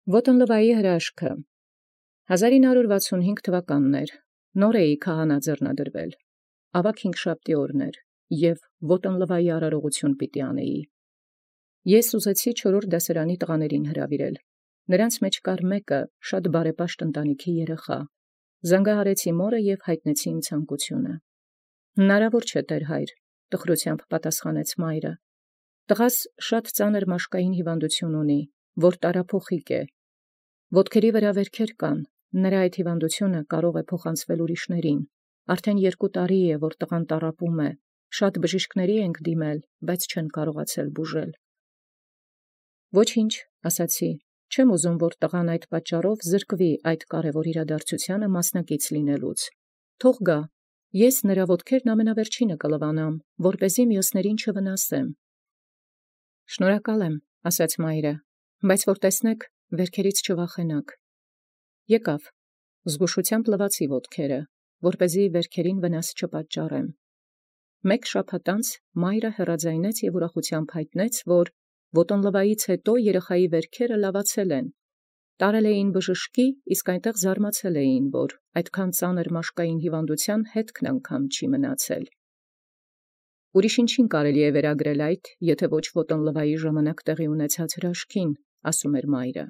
Ոտնլվայի հրաշքը 1965 թվականներ նոր էի քահանաձեռնադրվել, ավագ հինգշաբթի օրն էր, և ոտնլվայի արարողություն պիտի անեի։ Ես ուզեցի չորրորդ դասարանի տղաներին հրավիրել, նրանց մեջ կար մեկը շատ բարեպաշտ ընտանիքի երեխա, զանգահարեցի մորը և հայտնեցի իմ ցանկությունը։ Հնարավոր չէ, տեր հայր, տխրությամբ պատասխանեց մայրը, տղաս շատ ծանր մաշկային հիվանդություն ունի, որ տարափոխիկ է, ոտքերի վրա վերքեր կան, նրա այդ հիվանդությունը կարող է փոխանցվել ուրիշներին, արդեն 2 տարի է, որ տղան տառապում է, շատ բժիշկների ենք դիմել, բայց չեն կարողացել բուժել։ Ոչինչ, ասացի, չեմ ուզում, որ տղան այդ պատճառով զրկվի այդ կարևոր իրադարձությանը մասնակից լինելուց։ Թող գա, ես նրա ոտքերն ամենավերջինը կլվանամ, որպեսզի մյուսներին չվնասեմ։ Շնորհակալ եմ, ասաց մայրը, բայց որ տեսնեք, վերքերից չվախենաք։ Եկավ, զգուշությամբ լվացի ոտքերը, որպեսզի վերքերին վնաս չպատճառեմ։ 1 շաբաթ անց մայրը հեռաձայնեց և ուրախությամբ հայտնեց, որ ոտնլվայից հետո երեխայի վերքերը լավացել են, տարել էին բժշկի, իսկ այնտեղ զարմացել էին, որ այդքան ծանր մաշկային հիվանդության հետքն անգամ չի մնացել։ Ուրիշ ինչին կարելի է վերագրել այդ, եթե ոչ ոտնլվայի ժամանակ տեղի ունեցած հրաշքին, ասում էր մայրը։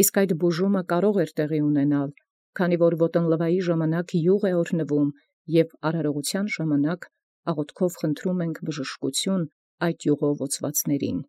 Իսկ այդ բուժումը կարող էր տեղի ունենալ, քանի որ ոտնլվայի ժամանակ յուղ է օրհնվում և արարողության ժամանակ աղոթքով խնդրում ենք բժշկություն այդ յուղով օծվածներին։